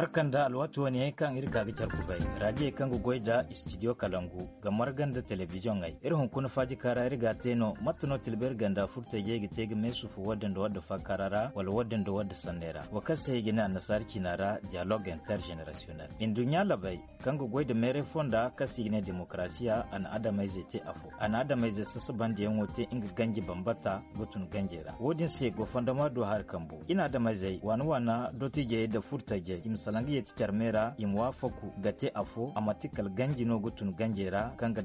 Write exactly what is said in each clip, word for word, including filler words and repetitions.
Barka nda alwaati wane yaŋ kaŋ iri ka ga care kubay, raadiyey kaŋ ga goy nda istidiyo kalangu ga marga nda telebiziyoŋey. Iri hunkuna faajika ra iri ga a te no mate no tilberi ganda furtajey ga te ga meesufu wadde nda wadde faakaara ra wala wadde nda wadde sanney ra, wo kaŋ se i ga ne annasaara ciina ra diyalog intergenerasiyonel. Nduɲɲa labey kaŋ ga goy nda meeray fonda kaŋ se i ga ne demokarasiya, a na adamayzey te afo, a na adamayzey sasabandiyaŋo te nga ganji bambata ga tun ganjey ra. Wo- din se gofondoma do hari kambo i na adamayzey waana waana dottijey nda furtajey i ma salaŋ ga yeeti care me ra i ma waafaku ga te afo a manti kala ganji no ga tun ganjey ra kaŋ ga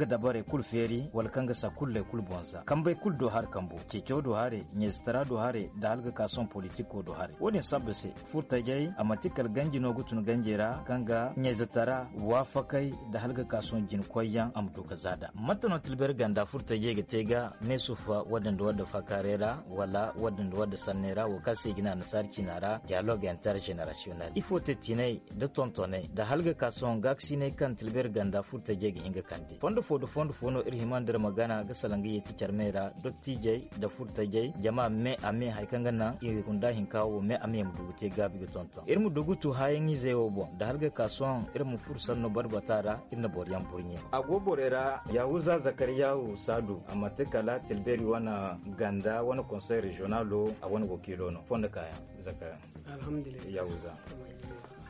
dabarey kulu feeri wala kaŋ ga sakulley kulu boŋ za kambey kulu do hari kambo ceeco do haray ɲayzatara do haray nda hala ga ka sohõ politiko do haray. Wo- din sabba se furtajey a manti kala ganji no ga tun ganjey ra kaŋ ga ɲayzatara waafakey nda hala ga ka sohõ jinkoyyaŋ a ma du ga za nd'a. Mate no tilberi ganda furtajey ga te ga meesufa wadde nda wadde faakaaray ra wala wadde nda wadde sanney ra wo kaŋ se i ga ne annasaara ciina ra diyalog intergenerasiyonel? Ifo te tiinay nda tontonay nda hala ga ka sohõ gaakasinay kaŋ tilberi ganda furtajey ga hin ga kande fondo fo nda fondo fo no iri hima nda iri ma gana ga salaŋ ga yeeti care me ra dottijey nda furtajey jama me a me hari kaŋ ga naŋ i hunda hinka wo me a me ma du ga te gaabi ga tonton iri ma du ga tu haayaŋ izey wo boŋ nda hala ga ka sohõ iri ma furo sanno barbata ra iri na boro yaŋ burɲe. A go borey ra yahuza zakariyahu saadu a manti kala tilberi wane ganda wane konsey reziyonalo a wane wakiilo no fondo kaayaŋ zakariyahu. Alhamdulillah. Yahuza.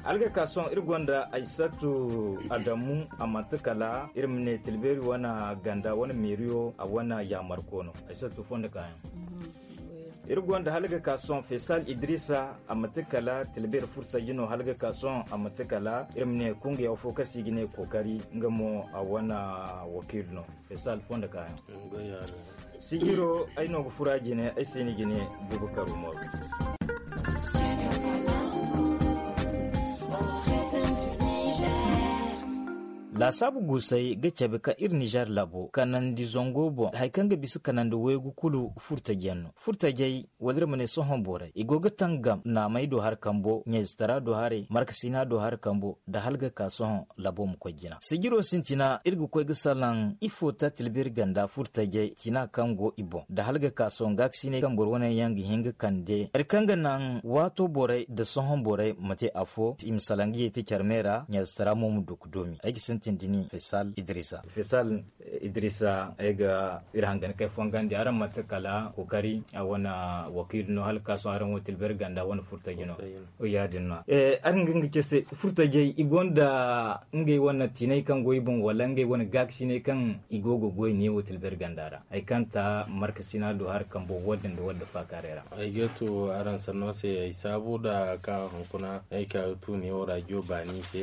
Alga ka sohõ iri gonda aysatu adamu a manti kala iri ma ne tilberi wane ganda wane meeriyo a wane yaamarko no. Aysatu fondo kaayaŋ. Iri gonda hala ga ka sohõ fesal idrisa a manti kala tilberi furtaji no hala ga ka sohõ a manti kala iri ma ne kungiya fo kaŋ se i ga ne kookari nga mo a wane wakiil no. Fesal fondo kaayaŋ. Sijiro ay no ga fura jine ay se ni jine. Bubakar umaru. Laasaabu guusey ga cabe ka iri nizer laabo kanandi zango boŋ hari kaŋ ga bisa kanandi waygu kulu furtajiyaŋ no furtajey wala iri ma ne sohõ borey i go ga tangam naamey do hari kambo ɲayzatara do haray markasina do hari kambo nda hala ga ka sohõ labo ma koy jina sijiro sintina iri ga koy ga salaŋ ifo ta tilbiri ganda furtajey tina kaŋ go i boŋ nda hala ga ka sohõ gaakasiney kaŋ boro wane yaŋ ga hin ga kande hari kaŋ ga naŋ waato borey nda sohõ borey ma te afo i ma salaŋ ga yeeti care me ra ɲazatara mo ma du ga doomi ay ga sintin da ni fesal idrisa. Idrisa ay ga iri hangan kay fongandi araŋ manti kala kookari a wane wakiilu no hala ka sohõ araŋ wo tilbari ganda wane furtaji no. Ya- din no araŋ ga nga ce se furtajey i gonda ngey wane tiinay kaŋ go i boŋ wala ngey wane gaakasiney kaŋ i go ga goy ne wo tilbari ganda ra hari kaŋ ta markasina do hari kambo wadda nda wadda faakaaray ra. Ay ga to araŋ sanno se ay saabu nda ka hunkuna ay ka ga tu ne wo rajo baani se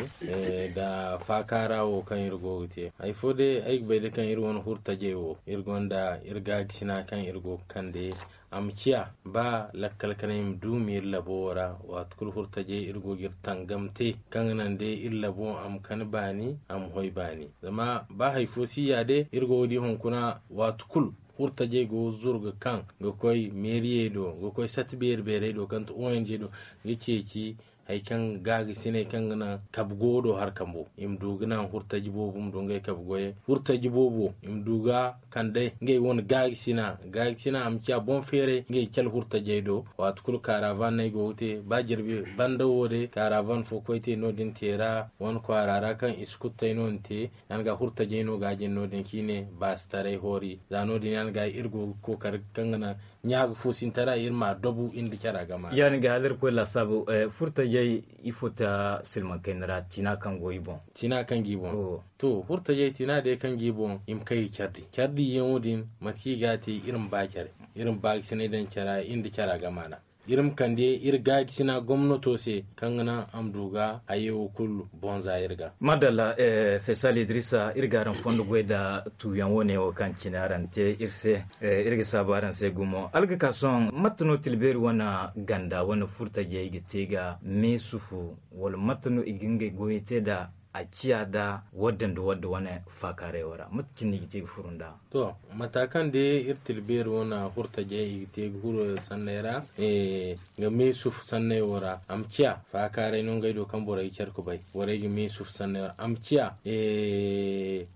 nda faakaara wo kaŋ iri go ga te hari fo day ay ga bay day kaŋ iri wane furtajey wo iri gonda iri gaakasina kaŋ iri go ga kande. A ma ciya ba lakkal kanay ma duumi iri labo wo ra waati kulu furtajey iri go ga iri tangam te kaŋ ga naŋ day iri labo a ma kani baani a ma hoy baani. Zama ba hari fo si ya day iri go ga di hunkuna waati kulu furtajey go ga zuru ga kaŋ ga koy meeriyey do ga koy sati beeri beerey do kaŋ ti ong do ga ceeci hari kaŋ gaagisiney kaŋ ga naŋ kabe go do hari kambo i ma du ga naŋ furtaji boobo ma du ngey kabe goyey furtaji boobo i ma du ga kande ngey wane gaagisina gaagisina a ma ciya boŋ feeray ngey cale furtajey do. Waati kulu kaaravan no ay go ga te ba jirbi banda wo day kaaravan fo koy te no- din te ra wane kwaara ra kaŋ i si kulu tay no ni te. Yaŋ ga furtajey no ga a jin no- din kaŋ i ne baasitaray hoori za no- din yaŋ ga iri go ga kookari kaŋ ga naŋ ɲaaga fo sintara iri ma a dabu iri nda cara gama. Yaadin ga hala iri koy laasaabu furtajey ifo ta silmaŋ kayna ra tiina kaŋ go i boŋ. Tiina kaŋ go i boŋ. To furtajey tiina day kaŋ go i boŋ i ma kay ga care di care diyaŋo din mate kaŋ i ga a te iri ma ba care iri ma baagisinay daŋ cara iri nda cara gama ra. Iri ma kande iri gaajisina gomnato se kaŋ ga naŋ a ma du ga hayey wo kulu boŋ za iri ga. Madalla. Fesal idrisa iri ga araŋ fondo goy nda tuuyaŋ wo- ne wo kaŋ cine araŋ te iri se. Iri ga saabu araŋ se gumo alga ka sohõ mate no tilbeeri wane ganda wane furtajey ga te ga meesufu wala mate no i ga ngey goyey te nda a ciya nda wadda nda wadda wane faakaaray wo ra mate cine no i ga te ga furu nd'a? To mata kaŋ day iri tilbeeri wane furtajey i ga te ga furo sanney ra ga meesufu sanney wo ra a ma ciya faakaaray no ngey do kaŋ borey ga care ga bay borey ga meesufu sanney wo ra a ma ciya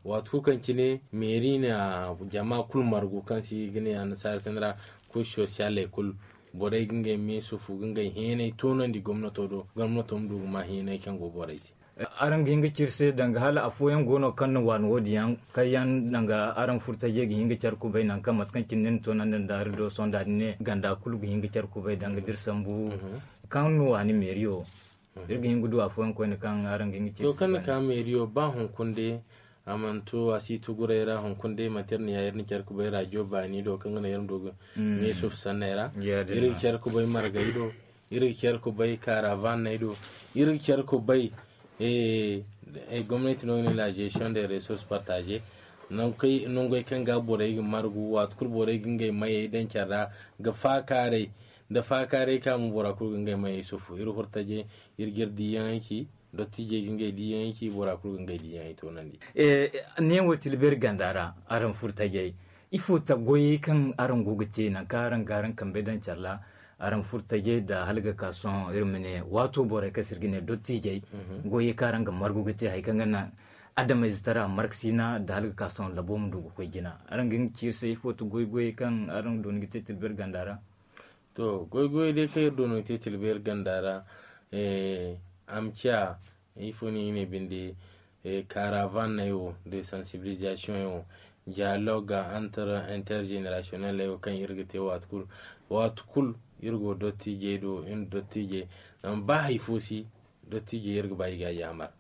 waati kulu kaŋ cine meeri na jama kulu margu kaŋ se i ga ne annasaara sanney ra. Kuusu sosiyaley kulu Borey ga ngey meesufu ga ngey heenay toonandi gomnato do, gomnato ma du ga ma heenay kaŋ go borey se. Araŋ ga hin ga ci iri se danga hala afooyaŋ go no kaŋ na waani wo-din yaŋ kaŋ yaŋ danga araŋ furtajey ga hin ga care kubay nangu kaŋ mate kaŋ cine ni na toonandi nda iri do sohõ da ni ne ganda kulu ga hin ga care kubay danga da iri sambu kaŋ na waani meeriyo. Iri ga hin ga du afooyaŋ koyne kaŋ araŋ ga hin ga ci iri se. To kaŋ na ka meeriyo ba hunkuna day a mana to a si tuguray ra hunkuna day manti iri na ya iri na care kubay raajiyo baani do kaŋ ga naŋ iri ma du ga meesufu sanney ra. Iri ga care kubay margey do, iri ga care kubay karavanney do, iri ga care kubay gomnati no ga ne la gestion de ressource partage. Nangey kaŋ ga borey ga margu waati kulu borey ga ngey mayey daŋ care ra ga faakaaray nda faakaaray ka mo bora kulu ga ngey mayey sufu iri hurtajey iri ga iri diiyaŋey ci. Dottijey ga ngey diiyaŋey ci bora kulu ga ngey diiyaŋey toonandi. Neewo tilbeeri ganda ra araŋ furtajey ifo ta goyey kaŋ araŋ go ga te nangu kaŋ araŋ ga araŋ kambey daŋ care ra araŋ furtajey nda hala ga ka sohõ iri ma ne waato borey kaŋ se iri ga ne dottijey goyey kaŋ araŋ ga margu ga te hari kaŋ ga naŋ adamayze tara markasina nda hala ga ka sohõ labo ma du ga koy jina araŋ ga hin ga ci iri se ifo ta goy goyey kaŋ araŋ dooni ga te tilbeeri ganda ra? To goy goyey day kaŋ iri dooni ga te tilbeeri ganda ra a ma ciya ifo no i ne binde karavanney wo de sensibilisation yaŋ wo dialogue entre intergenerationnel wo kaŋ iri ga te waati kulu waati kulu iri go dottijey do iri na dottijey zama ba hari fo si dottijey iri ga ba i ga a yaamar.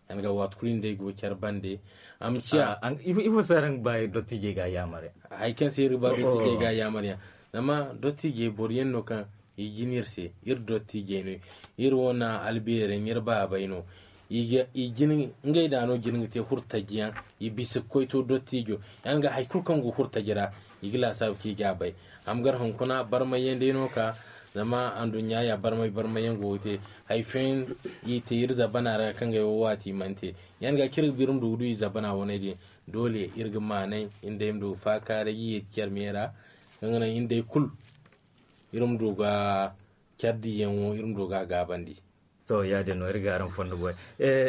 Yanga waati kulu ni day go care bande a ma ciya. Ifo se araŋ ga ba dottijey ga a yaamar yaŋ? Hari kaŋ se iri ga ba dottijey ga a yaamar yaŋ zama dottijey boro yaŋ no kaŋ i jin iri se iri dottijey no iri wane albeerey no iri baabey no. I jin ngey da no jin ga te hurtaji yaŋ i bisa ga koy to dottijo yaŋ ga hari kulu kaŋ go hurtaji ra i ga laasaabu kaŋ i ga a bay. A ma gar hunkuna barmay yaŋ day no ka zama anduɲɲa ya barmay barmay yaŋ go ga te hari fooyaŋ i te iri zabana ra kaŋ ga ay wo waati i mana te yaŋ ga kaŋ iri ga ba iri ma du ga du i zabana waney din. Doole iri ga maanay iri day ma du ga faakaaray ga yeeti care me ra kaŋ ga naŋ iri day kulu iri ma du ga care diyaŋo iri ma du ga a gaabandi. To ya-din no iri ga araŋ fondo goy.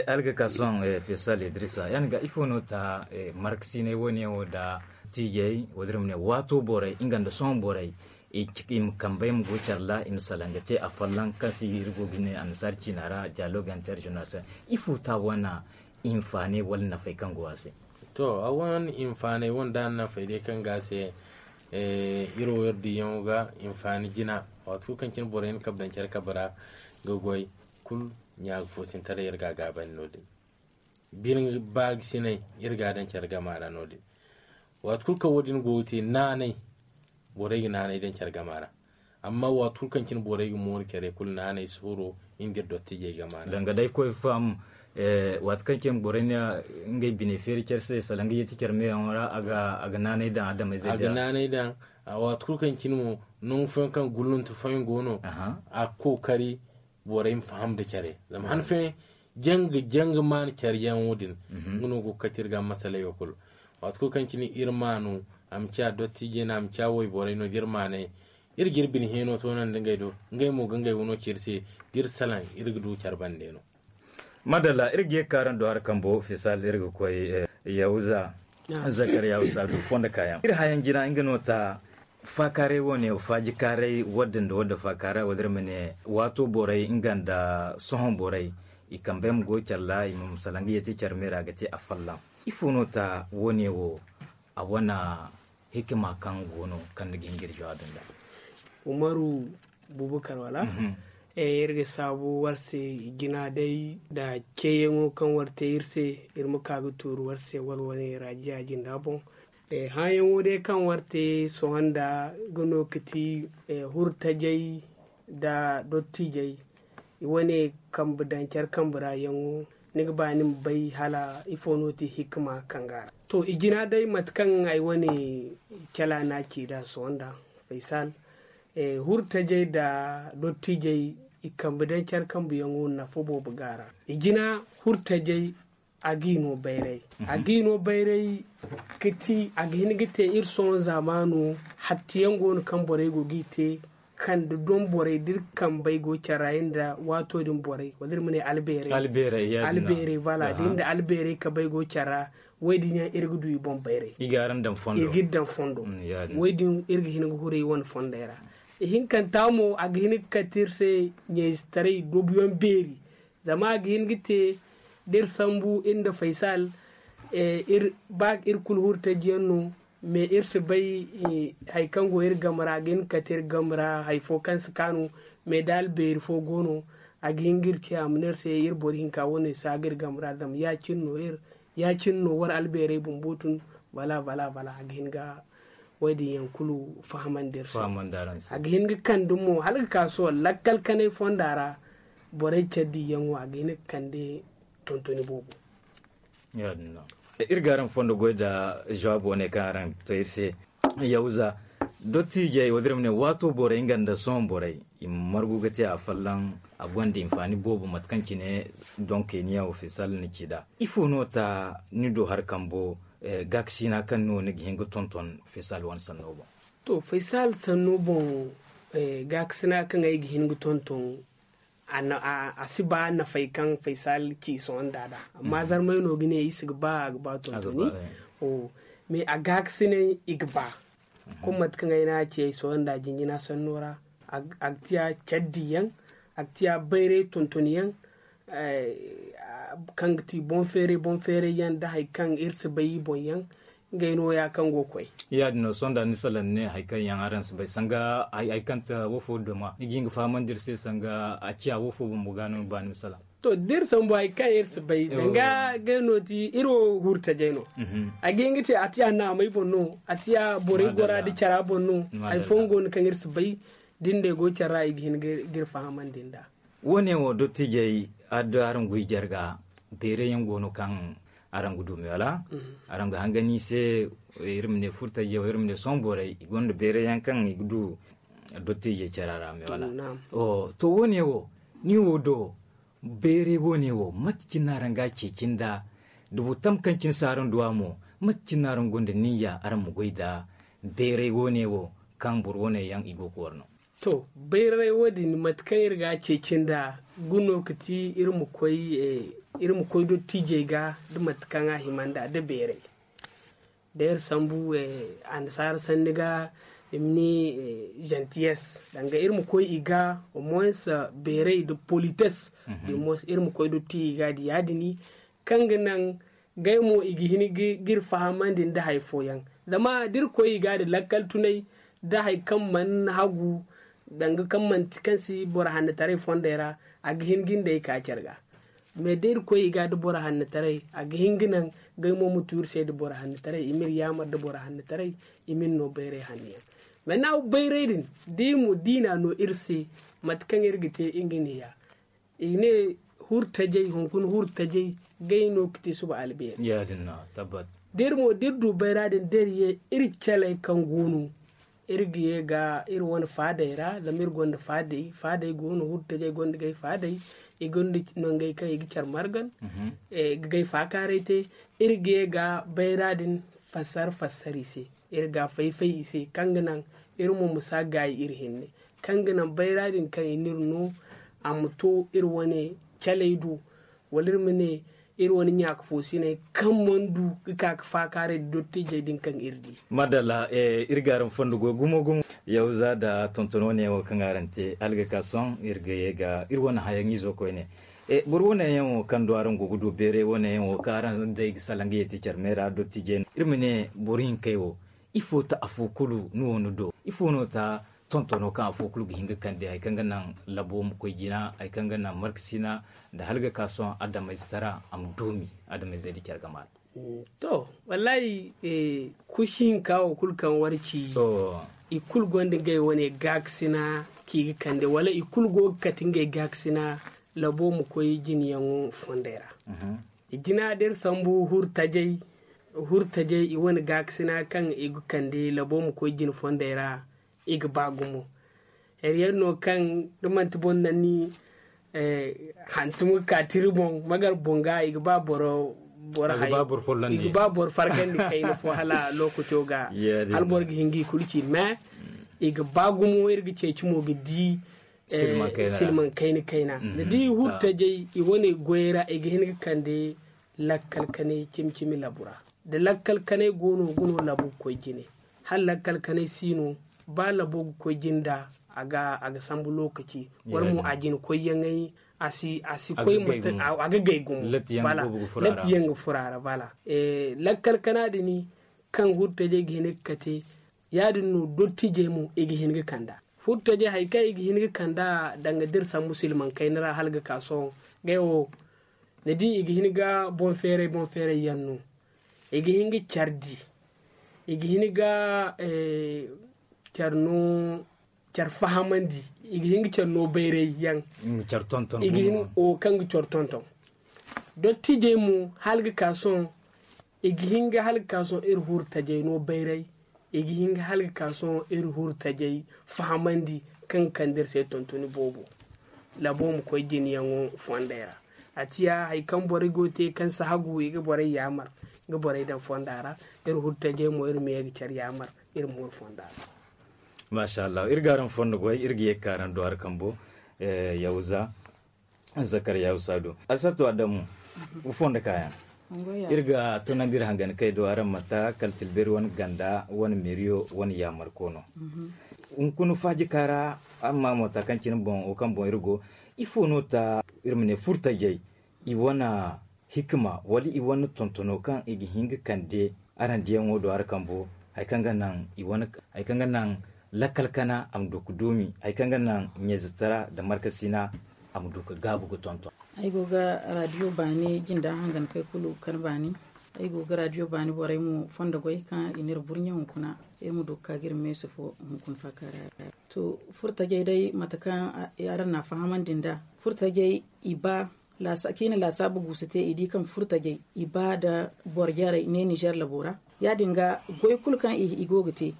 Alga ka sohõ fesal idrisa yaŋ ga ifo no ta markasinay wo-ne wo nda tiijey wala iri ma ne waato borey nga nda sohõ borey i ma kambey ma go care ra i ma salaŋ ga te afolloŋ kaŋ se iri go ga ne annasaara ciina ra dialogue intergeneration. Ifo ta wane hinfaanay wala nafay kaŋ go a se? To a wane hinfaanay wane da nafay day kaŋ go a se iri wo iri diyaŋo ga hinfaani jina. Waati kulu kaŋ cine borey na kabe daŋ care kabe ra ga goy kulu ɲa ga foosintaray iri ga a gaabandi no- din. Bine baagisinay iri ga a daŋ care gama ra no- din. Waati kulu kaŋ wo- din go ga te naanay borey ga naanay daŋ care gama ra. Amma waati kulu kaŋ cine borey ga mooru care kulu naanay suuro iri nda iri dottijey gama ra. Danga day koy faham waati kaŋ cine borey na ngey bine feeri care se salaŋ ga yeeti care meyaŋo ra a ga naanay daŋ adamayzey a ga naanay daŋ. Waati kulu kaŋ cine mo nangu fooyaŋ kaŋ gulluntu fooyaŋ go no a ga kookari borey ma faham nda care zama han fooyaŋ janga janga maana care yaŋo din. Nga no go ga kate iri ga masaley wo kulu. Waati kulu kaŋ cine iri maanu a ma ciya dottiijey no a ma ciya wayborey no da iri maanay iri ga iri bine heeno toonandi ngey do ngey mo ga ngey wano ci iri se da iri salaŋ iri ga du care bande no. Madalla iri ga ye ga ka araŋ do hari kambo fisal iri ga koy yahuza zakariya usadu fondo kaayaŋ iri hayaŋ jina nga no ta. Faakaaray wo ne faajikaaray wadda nda wadda faakaara wala iri ma ne waato borey nga nda sohõ borey i kambey ma goy care ra i ma salaŋ ga yeeti care me ra ga te afolloŋ. Ifo no ta wo ne wo a wane hikima kaŋ go no kaŋ ni ga hin ga iri jawaabi nd'a? Umaru bubakar wala iri ga saabu war se i jina day nda ceeyaŋo kaŋ war te iri se iri ma ka ga tuuru war se war wane raajiya jinda boŋ. Hããyaŋo day kaŋ war te sohõ nda ga no ga ti hurtajey nda dottiijey i wane kambe daŋ care kambe ra yaŋo. Ni ga ba ni ma bay hala ifo no ti hikima kaŋ ga a ra to i jina day mate kaŋ ay wane cala no a ci nd'a sohõ nda faysal hurtajey nda dottiijey i kambe daŋ care kambe yaŋo nafa boobo ga a ra. I jina hurtajey a g'i no bayray a g'i no bayray ga ti a ga hin ga te iri sohõ zaamaano. Hatti yaŋ go no kaŋ borey go g'i te kande doŋ borey da iri kambey go care ra iri nda waato din borey wala iri ma ne albeerey albeerey voilà da iri nda albeerey kabey go care ra. Wo- din yaŋ iri ga du i boŋ bayray i ga iri daŋ fondo wo- din iri ga hin ga huray wane fondey ra. Ihinkanta mo a ga hin ga kate iri se ɲayzetaray dobuyaŋ beeri. Zama a ga hin ga te da iri sambu iri nda faysal, ba iri kulu hurtajiyaŋ no. Me iri si bay hari kaŋ go iri game ra a ga hin ga kate iri game ra hari fo kaŋ si kaanu. Me da albeeri fo go no a ga hin ga iri ce a ma ne iri se iri boro hinka wane si a ga iri game ra zama ya- cine no war albeerey bumbo tun. Bala bala bala a ga hin ga wo- din yaŋ kulu fahamandi iri se. A ga hin ga kande mo hala ga ka sohõ lakkal kanay fonda ra. Borey care diyaŋo a ga hin ga kande tontoni boobo. Iri ga araŋ fondo goy nda jawaabo wane kaŋ araŋ to iri se. Yawza, dottijey wo da iri ma ne waato borey nga nda sohõ borey i ma margu ga te a folloŋ. A gonda hinfaani boobo mate kaŋ cine donkey ni yaŋ wo faysal ni ci nd'a. Ifo no ta ni do hari kambo gaakasina kaŋ no ni ga hin ga tonton faysal wane sanno boŋ? To faysal sanno boŋ, gaakasina kaŋ ay ga hin ga tonton a si ba nafay kaŋ faysal ci sohõ nda nd'a. Amma zarmay no ga ne i si ga ba a ga ba tontoni. Mais a gaakasinay i ga ba. Kuma mate kaŋ ay ne a ci ay sohõ nda jinjina sanno ra. A ga tiya care diyaŋ, a ga tiya bayray tontoniyaŋ, kaŋ ga ti boŋ feeray boŋ feeray yaŋ nda hari kaŋ iri si bay i boŋ yaŋ. Ngey no ya kaŋ go ga koy. Ya- din no sohõ nda ni salaŋ ne hari kaŋ yaŋ araŋ si bay sanga hari kaŋ ta wo fo doma ni ga hin ga fahamandi iri se sanga a ciya wo fo bumbo ga no ni ba ni ma salaŋ. To da iri sambu hari kaŋ iri si bay danga ngey no ti iri wo hurtajey no. A ga hin ga te a tiya naamay boŋ no, a tiya borey gora nda cara boŋ no. Hari fooyaŋ go no kaŋ iri si bay da ni ne go care ra i ga hin ga iri fahamandi nd'a. Wo- ne wo dottijey adda araŋ goy jarga beeray yaŋ go no kaŋ araŋ ga du me wala? Araŋ ga hangani se iri ma ne furtajey wala iri ma ne sohõ borey i gonda beeray yaŋ kaŋ i ga du dottijey care ra me wala? To wo- ne wo ni wo do beeray wo- ne wo mate cine no araŋ ga a ceeci nd'a? Da boro tam kaŋ cine si araŋ du a mo mate cine no araŋ gonda niyya araŋ ma goy nda beeray wo- ne wo kaŋ boro wo- ne yaŋ i go ga war no? To bayray wo- din mate kaŋ iri ga a ceeci nd'a, ga no ga ti iri ma koy dottijey ga da mate kaŋ a hima nd'a da beeray. Da iri sambu annasaara sanni ga i ma ne gentillesse danga iri ma koy i ga au moins beeray da politesse. Iri ma koy dottijey ga da ya- din kaŋ ga naŋ ngey mo i ga hin ga iri fahamandi nda hari fooyaŋ. Zama da iri koy i ga da lakkal tunay da hari kaŋ mana hagu danga kaŋ manti kaŋ si boro hannataray fondey ra, a ga hin ga ni day ka care ga. Mais da iri koy i ga da boro hannataray a ga hin ga naŋ ngey mo ma tu iri se da boro hannataray i ma iri yaamar da boro hannataray. I ma iri no bayray hanno yaŋ. Mais naŋ bayray din da i na no iri se mate kaŋ iri ga te nga ne ya i ne hurtajey hunkuna hurtajey gay no ga te suba albeeri. Da iri mo da iri du bayra din da iri ye iri caley kaŋ go no iri ga ye ga iri wane faadey ra zama iri gonda faadey faadey go no hurtajey gonda gay faadey. I gonda nangey kaŋ i ga care margan ga gay faakaaray te. Iri ga ye ga bayra din fassar fassar i se iri ga fay-fay i se kaŋ ga naŋ iri mo ma si a gaayi iri hinne kaŋ ga naŋ bayra din kaŋ i n'iri no a ma to iri wane caley do wala iri ma ne iri wane ɲaaka foosiney kaŋ mana du ga ka ga faakaaray da dottijey din kaŋ iri di. Madalla. Iri ga araŋ fondo goy gumo gumo yawza nda tonton wane wo kaŋ araŋ te hala ga ka sohõ iri ga ye ga iri wane hayaŋ izo koyne. Boro wane yaŋ wo kaŋ do araŋ go ga du beeray wane yaŋ wo kaŋ araŋ day ga salaŋ ga ye te care me ra dottijey no iri ma ne boro hinkey wo ifo ta afo kulu ni wo ni do ifo no ta tontono kaŋ afo kulu ga hin ga kande hari kaŋ ga naŋ labo ma koy jina hari kaŋ ga naŋ markasina nda hala ga ka sohõ adamayze tara a ma doomi adamayzey da care ga maala. To wallahi kusi hinka wo kulu kaŋ war ci i kulu gonda ngey wane gaakasina kaŋ i ga kande wala i kulu go ga kate ngey gaakasina labo ma koy jinayaŋo fondey ra. I jina da iri sambu hurtajey hurtajey i wane gaakasina kaŋ i ga kande labo ma koy jina fondey ra. I ga ba gumo hari yaŋ no kaŋ da manti boro naŋ ni hantum ga ka tira boŋ magar boŋ ga i ga ba boro boro hay i ga ba boro fargandi kayna fo hala lookaco ga hala boro ga hin ga i kulu ci mais i ga ba gumo iri ga ceeci mo ga di silman kayna kayna da di hurtajey i wane goyey ra i ga hin ga kande lakkal kanay cimi-cimi labu ra da lakkal kanay go no ga no labu ga koy jine hala lakkal kanay si no ba labo ga koy jine nda a ga sambu lokaci. Wala mo a jina koyyaŋey a si koy mate a ga gay gumo. Latti yaŋ ga fura ra bala. Lakkal kana dini kaŋ hurtajey ga hin ga kate. Ya- din no dottijey mo i ga hin ga kand'a. Furtajey hari kaŋ i ga hin ga kand'a danga da iri sambu silmaŋ kayna ra hala ga ka sohõ. Ngey wo ni di i ga hin ga boŋ feeray boŋ feeray yaŋ no. I ga hin ga care di. I ga hin ga care no care fahamandi. I ga hin ga care no bayray yaŋ. I ga hin wo kaŋ ga care tonton. Dottijey mo hala ga ka sohõ. I ga hin ga hala ga ka sohõ iri huru tajey no bayray. I ga hin ga hala ga ka sohõ iri huru tajey fahamandi kaŋ ga kande iri se tontoni boobo. Labo ma koy jinayaŋo fondey ra. A ciya hari kaŋ borey go ga te kaŋ si hagu i ga borey yaamar ga borey daŋ fonda ra. Iri huru tajey mo iri ma ye ga care yaamar iri ma huru fonda ra. Maasa allah iri ga araŋ fondo goy iri ga ye ga ka araŋ duwara kambo. Yawza zakar yawsa do asatu adamu. Fondo kaayaŋ iri ga tunandi iri hangan kay do araŋ mata kala tilberi wane ganda wane meriyo wane yaamar koono. Hunkuna faaji kaara amma mota kaŋ cine boŋ wo kaŋ boŋ iri go ifo no ta iri ma ne furtajey i wane hikima wala i wane tontono kaŋ i ga hin ga kande araŋ diyaŋo do hari kambo hari kaŋ ga naŋ i wane hari kaŋ ga naŋ lakkal kana a ma du ga doomi hari kaŋ ga naŋ ɲayzatara nda markasina a ma du ga gaabu ga tonton. Ay go ga radio baani jinda hangan kay kulu kar baani. Ay go ga radio baani borey mo fondo goy kaŋ i n'iri burɲe hunkuna iri ma du ga ka ga iri meesu fo hunkuna faakaara. To furtajey day mate kaŋ araŋ na a fahamandi nd'a furtajey i ba kaŋ i na laasaabu guusu te i di kaŋ furtajey i ba nda boro jarey ne nizer labo ra. Ya- din ga goy kulu kaŋ i go ga te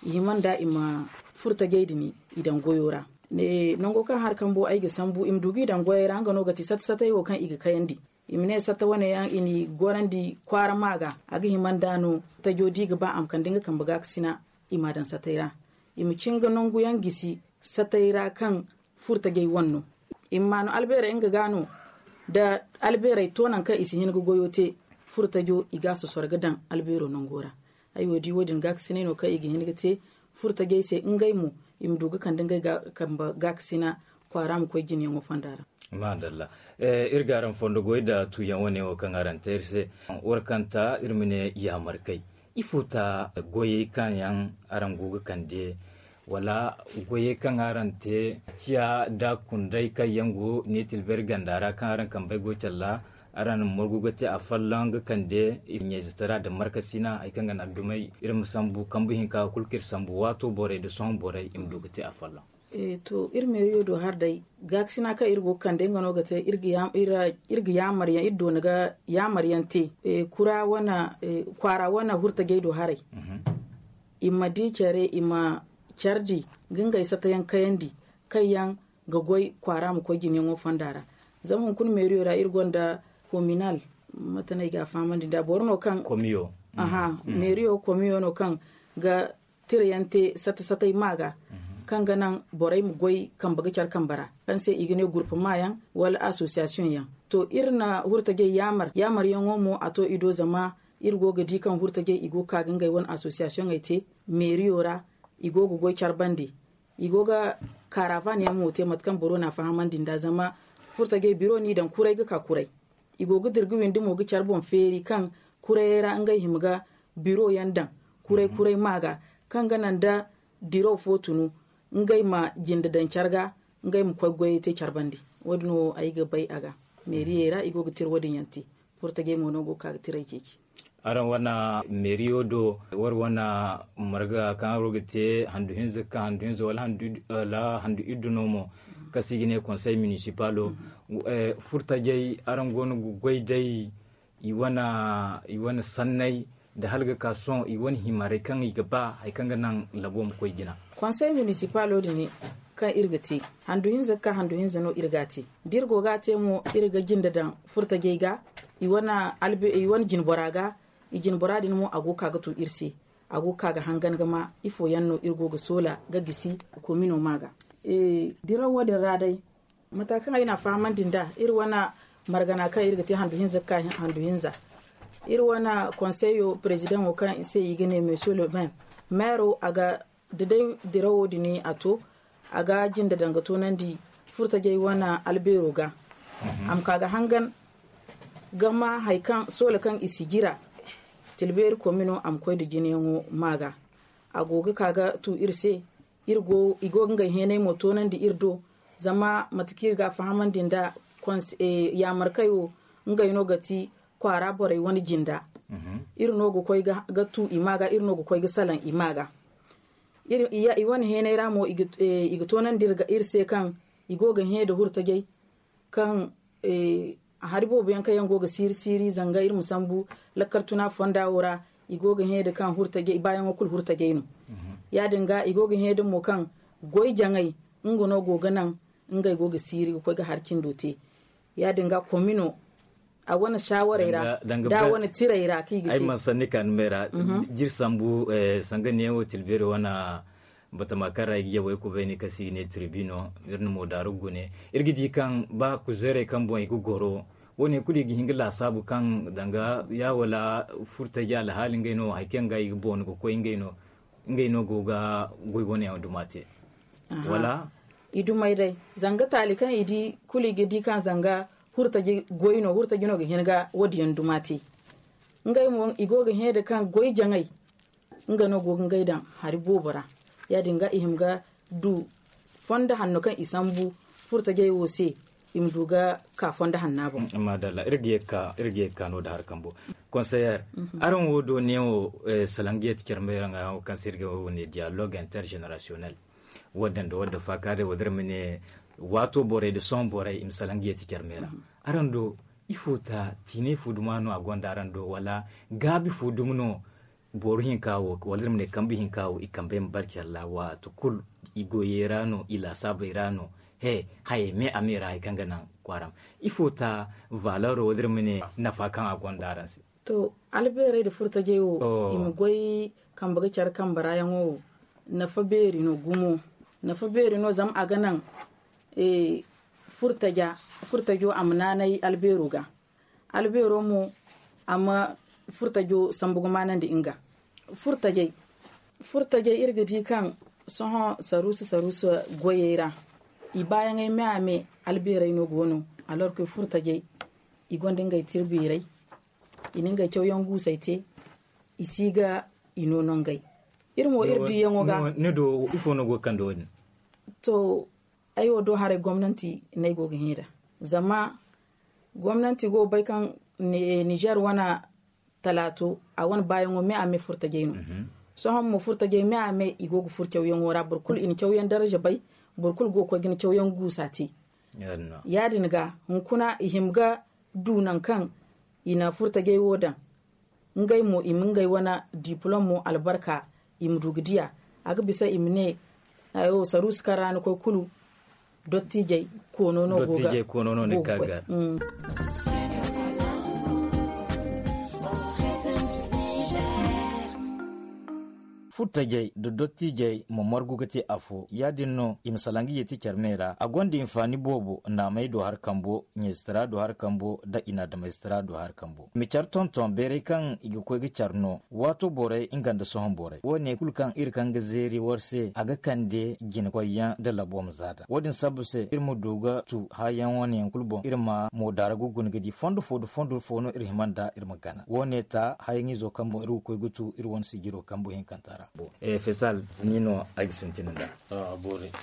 i hima nd'a i ma furtajey din i daŋ goyo ra. Nango kaŋ hari kambo ay ga sambu i ma du ga i daŋ goyey ra nga no ga ti satta sattey wo kaŋ i ga kayandi. I ma ne satta wane yaŋ i n'i gorandi kwaara ma ga a ga hima nd'a no tajo da i ga ba a ma kande nga kambe gaakasina i m'a daŋ sattey ra. I ma cin ga nangu yaŋ gisi sattey ra kaŋ furtajey wane no. I ma maanu albeerey nga ga no nda albeerey to nangu kaŋ i si hin ga goyo te. Furtajo i ga a sosoro ga daŋ albeero nango ra. Ay wo di wo- din gaakasinay no kaŋ i ga hin ga te furtajey se ngey mo i ma du ga kande ngey kambe gaakasina kwaara ma koy jinayaŋo fonda ra. Maadalla. Iri ga araŋ fondo goy nda tuuyaŋ wane wo kaŋ araŋ te iri se. War kaŋ ta iri ma ne yaamarkay ifo ta goyey kaŋ yaŋ araŋ go ga kande wala goyey kaŋ araŋ te ciya nda kunday kaŋ yaŋ go ne tilberi ganda ra kaŋ araŋ kambey go calla araŋ na morgu ga te afolloŋ ga kande ɲayzatara nda markasina hari kaŋ ga naŋ dumey iri ma sambu kambe hinka kulu kaŋ iri sambu waato borey nda sohõ borey i ma du ga te afolloŋ. To iri meeriyo do hari day gaakasina kaŋ iri go ga kande nga no ga te iri ga yaamaryaŋ iri doona ga yaamaryaŋ te kwaara wane hurtajey do haray. I ma di care i ma care di ga ngey satayaŋ kayandi kaŋ yaŋ ga goy kwaara ma koy jinayaŋo fonda ra. Zama hunkuna meeriyo ra iri gonda kominal mate no ay ga a fahamandi nda boro no kaŋ meeriyo komiyo no kaŋ ga tirayaŋ te satta sattey ma ga kaŋ ga naŋ borey ma goy kambe ga care kambe ra kaŋ se i ga ne gurpu maayaŋ wala asosiyasiyoŋ yaŋ. To iri na hurtajey yaamar yaamaryaŋo mo a to i do zama iri go ga di kaŋ hurtajey i go ga ka ga ngey wane asosiyasiyoŋey te meeriyo ra. I go ga goy care bande i go ga kaarafan yaŋ mo te mate kaŋ boro na a fahamandi nda zama furtajey biro no i daŋ kuray ga ka kuray. I go ga dira ga windi mo ga care boŋ feeri kaŋ kurayey ra ngey hima ga biro yaŋ daŋ kuray kuray ma ga kaŋ ga naŋ da diraw fo tunu ngey ma jinde daŋ care ga ngey ma koy goyey te care bande. Wo- din wo ay ga bay a ga meeriyey ra i go ga tira wo- din yaŋ te. Furtajey mo no go ga ka ga tiray ceeci. Araŋ wane meeriyo do war wane marga kaŋ araŋ go ga te handu hinza ga ka handu hinza wala handu iddu no mo kaŋ se i ga ne konsey minisipalo. Furtajey araŋ go no ga goy day i wane sanney nda hala ga ka sohõ i wane himarey kaŋ i ga ba hari kaŋ ga naŋ labo ma koy jina. Konsey minisipalo din kaŋ iri ga te handu hinza ga ka handu hinza no iri ga a te da iri go ga a te mo iri ga jinde daŋ furtajey ga i wane jinbora ga. I jinbora din mo a go ga ka ga tu iri se a go ga ka ga hangan ga ma ifo yaŋ no iri go ga soola ga gisi komino ma ga. Diraw wo- din ra day mata kaŋ ay na a fahamandi nda iri wane margana kaŋ iri ga te handu hinza ga ka handu hinza iri wane konseyo perezidaŋo kaŋ se i ga ne monsieur le maire meero a ga da day dirawo din a to a ga jinda daŋ ga toonandi furtajey wane albeero ga. A ma ka ga hangan ga ma hari kaŋ soola kaŋ i si jira. Tilbeeri komino a ma koy nda jinayaŋo ma ga. A go ga ka ga tu iri se. I go ga ngey heenay mo toonandi iri do. Zama mate kaŋ iri ga a fahamandi nda yaamarkey wo, ngey no ga ti kwaara borey wane jinda. Iri no ga koy ga tu i ma ga, iri no ga koy ga salaŋ i ma ga. I wane heenay ra mo i ga toonandi iri se kaŋ i go ga hẽ nda hurtajey kaŋ hari boobo yaŋ kaŋ yaŋ go ga siiri siiri zanga iri ma sambu lakkal tuna fonda wo ra. I go ga hẽ nda kaŋ hurtajey baayaŋo kulu hurtajey no. Ya- din ga i go ga hẽ nda mo kaŋ goy jaŋay nga no go ga naŋ ngey go ga siiri ga koy ga hari cindo te. Ya- din ga komino a wane sawarey ra da wane tirey ra kaŋ i ga te ay ma sanni ka numey ra. Jiri sambu sanga neewo tilbeeri wane batama kaŋ ra i ga yawey kubay ni kasi i ne tribino. Iri na mo daaru gune iri ga di kaŋ ba kuzeerey kaŋ boŋ i ga goro. Wo- ne kulu i ga hin ga laasaabu kaŋ danga ya wala furtaji alhaali ngey no hari kaŋ ga i ga boonu ga koy ngey no go ga goy wane yaŋ duma te. Wala i dumey day zanga taali kaŋ i di kulu i ga di kaŋ zanga hurtaji goy no hurtaji no ga hin ga wo- din yaŋ duma te. Ngey mo i go ga hẽ nda kaŋ goy jaŋay nga no go ga ngey daŋ hari boobo ra. Ya- din ga i hima ga du fondo hanno kaŋ i sambu furtajey wo se i ma du ga ka fondo hanna boŋ. Madalla iri ga ye ga ka no da hari kambo. Konseyer, araŋ wo do neewo salaŋ ga ye ti care meera ŋwa yaŋo kaŋ se iri ga wo ne dialogue intergenerationnel. Wo- din da wo- din faaka day wo- din iri ma ne waato borey nda sohõ borey i ma salaŋ ga ye ti care meera. Araŋ do ifo ta tiinay fo duma no a gonda araŋ do wala gaabi fo dumi no? Boro hinka wo wala iri ma ne kambe hinka wo i kambey ma barcalla waati kulu i goyey ra no i laasaabey ra no. He hayey me a me ra hari kaŋ ga naŋ kwaara ma ifo ta valero wala iri ma ne nafa kaŋ a gonda araŋ se? To albeerey nda furtajey wo i ma goy kambe ga care kambe ra yaŋo wo nafa beeri no gumo. Nafa beeri no zama a ga naŋ furtaja furtajo a ma naanay albeero ga. Albeero mo a ma furtajo sambu ga maanandi nga furtajey. Furtajey iri ga di kaŋ sohõ saruusa saruusa goyey ra i baayaŋey me a me albeerey no go no. Alorkoy furtajey i gonda ngey tirbiirey i na ngey cawyaŋ guusey te. I si ga i no no ngey iri mo iri diiyaŋo ga. Ni do ifo no go ga kande wo- din? To ay wo do haray gomnanti no ay go ga hẽ nd'a. Zama gomnanti go ga bay kaŋ nizer wane talaato a wane baayaŋo me a me furtajey no. Sohõ mo furtajey me a me i go ga furo cawyaŋo ra boro kulu i na cawyaŋ daraza bay. Boro kulu go ga koy ga ni cawyaŋ guusa te. Ya- din ga hunkuna i hima ga du nangu kaŋ i na furtajey wo daŋ. Ngey mo i ma ngey wane diplom mo albarka i ma du ga diya. A ga bisa i ma ne saruusi kaŋ ra ni koy kulu dottijey koono no go ga. Furtajey nda dottijey ma margu ga te afo ya- din no i ma salaŋ ga yeeti care me ra a gonda hinfaani boobo naamey do hari kambo ɲeesitara do hari kambo nda i na adamayzitara do hari kambo i ma care tonton beeray kaŋ i ga koy ga care no. Waato borey nga nda sohõ borey wo- ne kulu kaŋ iri kaŋ ga zeeri war se a ga kande jinakoyyaŋ nda labo ma zaada wo- din sabbu se iri ma du ga tu haayaŋ wane yaŋ kulu boŋ iri ma moodaara ga guna ga di fondo fo nda fondo fo no iri hima nd'a iri ma gana wo- ne ta haayaŋizo kaŋ boŋ iri ga koy ga tu iri wane sijiro kambu hinkanta ra. Fesal ni no ay ga sintin nd'a.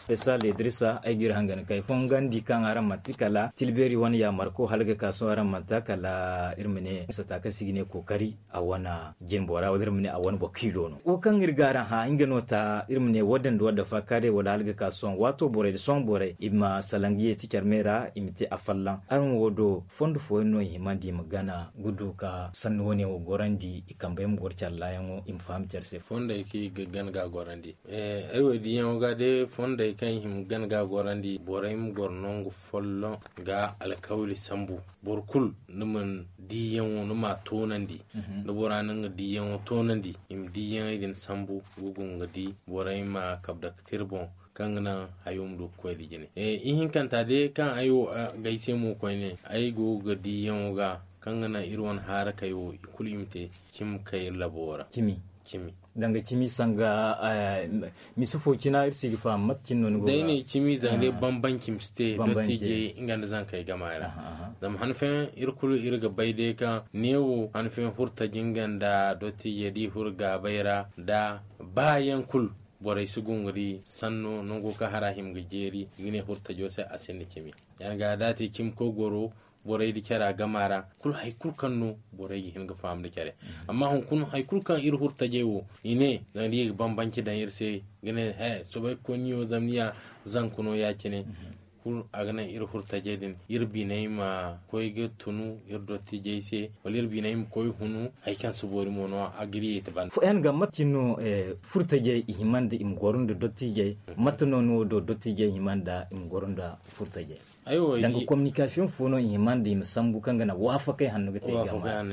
Fesal idrisa ay ga iri hangan kay fongandi kaŋ araŋ manti kala tilbeeri wane yaamarko hala ga ka sohõ araŋ manti kala iri ma ne sata kaŋ se i ga ne kookari a wane jinbora wala iri ma ne a wane boro kiilo no wo kaŋ iri ga araŋ hã nga no ta iri ma ne wadda nda wadda faakaaray wala hala ga ka sohõ waato borey nda sohõ borey i ma salaŋ ga yeeti care me ra i ma te afallaŋ araŋ wo do fondo fooyaŋ no i himandi i ma gana ga du ka sanni wane wo gorandi i kambey ma goro care laayaŋo i ma faham care se fondey kaŋ i ga gana ga gorandi. Ay wo diiyaŋo ga day fondey kaŋ i hima gana ga gorandi borey ma goro nangu folloŋ ga alkawli sambu boro kulu ni ma ni diiyaŋo ni ma a toonandi. Da bora na nga diiyaŋo toonandi i ma diiyaŋey din sambu ga guna ga di borey ma kabe dake tira boŋ kaŋ ga naŋ hayo ma du ga koy nda jine. Ihinkanta day kaŋ ay wo g'ay se mo koyne ay go ga diiyaŋo ga kaŋ ga naŋ iri wane haarakey wo i kulu i ma te cimi ga kay iri labo ra. Cimi. Cimi. Danga cimi sanga misi fo cina iri si ga faham mate cine no ni go ga day ne cimi zanga day bambanci misi te dottijey nga nda zankey gama ra. Zama han fooyaŋ iri kulu iri ga bay day kaŋ neewo han fooyaŋ hurtaji nga nda dottijey da i huru gaabay ra da baayaŋ kulu borey si gungu da i sanno nango kaŋ hara hima ga jeeri i ga ne hurtajo se a sinda cimi. Yaŋ ga da a te cimi koy goro borey da care a gama ra kulu hari kulu kaŋ no borey ga hin ga faham da care. Amma hunkuna hari kulu kaŋ iri hurtajey wo i ne zama da i ga bambanci daŋ iri se ga ne he soobay ga koy ni wo zama ni ya zanku no ya- cine. Kulu a ga naŋ iri hurtajey din iri biney ma koy ga tunu iri dottijey se wala iri biney ma koy hunu hari kaŋ si boori mo no a ga iri yeeti banda. Fooyaŋ ga mate cine no furtajey i hima nda i ma goro nda dottijey? Mate no ni wo do dottijey hima nda i ma goro nda furtajey? Danga communication fo no i hima nda i ma sambu kaŋ ga naŋ waafakay hanno ga te i game ra?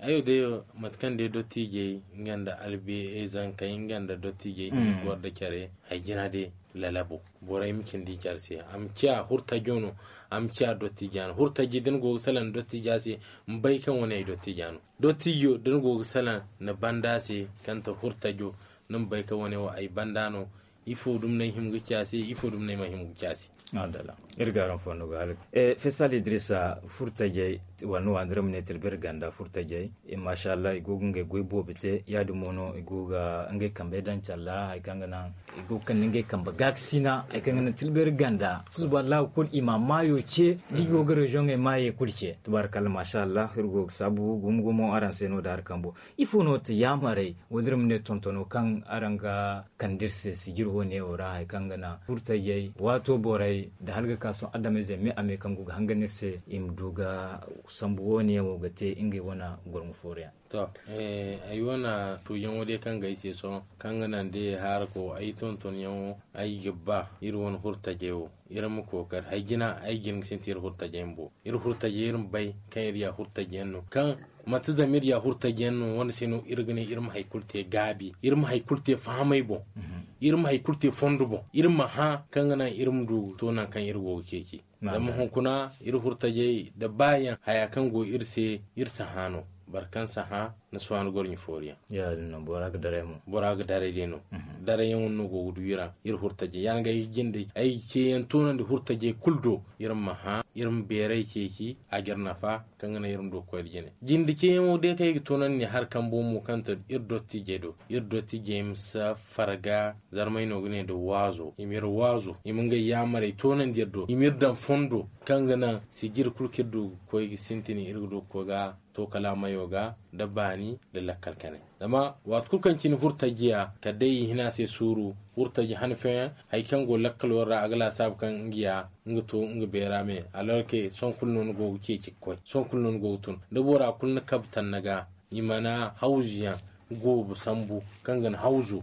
Ayo day mate kaŋ day dottijey nga nda albiyey zankey nga nda dottijey i ma goro nda care hari jina day lalabo. Borey ma cindi care se a ma ciya hurtajo no. A ma ciya dottijo no hurtaji da ni go ga salaŋ dottija se ma bay kaŋ wane ay dottija no. Dottijo da ni go ga salaŋ ni banda se kaŋ ti hurtajo ni ma bay kaŋ wane wo ay banda no. Ifo dumi no ay hima ga ci a se ifo dumi no ay mana hima ga ci a se. Iri ga araŋ fondo ga hala fesal idrisa furtajey wala ni waandiray ma ne tilbir ganda furtajey. Masha allah i go ga ngey goy boobo te ya- din mo no i go ga ngey kambey daŋ calla hari kaŋ ga naŋ i go ga kande ngey kambe gaakasina hari kaŋ ga naŋ tilbir ganda susuba allahu kulu i ma maayo ce da i go ga reziyoŋey maayo kulu ce. Tabarakalla masha allah iri go ga saabu gumo gumo araŋ se no da hari kambo. Ifo no ti yaamarey wala iri ma ne tontono kaŋ araŋ ga kande iri se sijir wo neewo ra hari kaŋ ga naŋ furtajey waato borey nda hala ga ka sohõ adamizey me a me kaŋ go ga hangan iri se i ma du ga sambu wo neewo ga te ngey wane gorŋo fooru yaŋ? To ay wane tuuyaŋo day kaŋ ga ay se sohõ kaŋ ga naŋ day haarako ay tontonyaŋo ay ga ba iri wane hurtajey wo iri ma kookari hari jina ay ga hin ga sintin iri hurtajey bumbo. Iri hurtajey iri ma bay kaŋ iri ya hurtajey yaŋ no kaŋ manti zama iri ya hurtaji yaŋ no wane se no iri ga ne iri ma hari kulu te gaabi iri ma hari kulu te fahamay boŋ. Iri ma hari kulu te fondo boŋ iri ma hã kaŋ ga naŋ iri ma du to nangu kaŋ iri go ga ceeci. Zama hunkuna iri hurtajey nda baayaŋ haya kaŋ go iri se iri si hã no. Boro kaŋ si hã ni si waani gorɲi fooriyaŋ. Bora ga daray day no. Darayyaŋo no go ga du iri ra iri hurtajey ya- din ga ay ga jinde ay ceeyaŋ toonandi hurtajey kulu do iri ma hã iri ma beeray ceeci a ga iri nafa. Kaŋ ga naŋ iri ma du ga koy nda jine jinde ceeyaŋo day kaŋ ay ga toonandi ne hari kambo mo kaŋ to iri dottijey do iri dottijey ma si farga. Zarmay no ga ne nda waazo i ma iri waazo i ma ngey yaamarey toonandi iri do i ma iri daŋ fondo kaŋ ga naŋ sijiri kulu kaŋ iri du ga koy ga sintin iri ga du ga koy ga to kalaamayo ga nda baani nda lakkal kanay. Zama waati kulu kaŋ cine hurtajiya kala day i hina se suuru hurtaji han fooyaŋ hari kaŋ go lakkalo ra a ga laasaabu kaŋ nga ya nga to nga beera me alorke sohõ kulu no ni go ga ceeci ga koy sohõ kulu no ni go ga tun da bora kulu na kabe tanna ga i mana hawzu yaŋ goobu sambu kaŋ ga ni hawzu.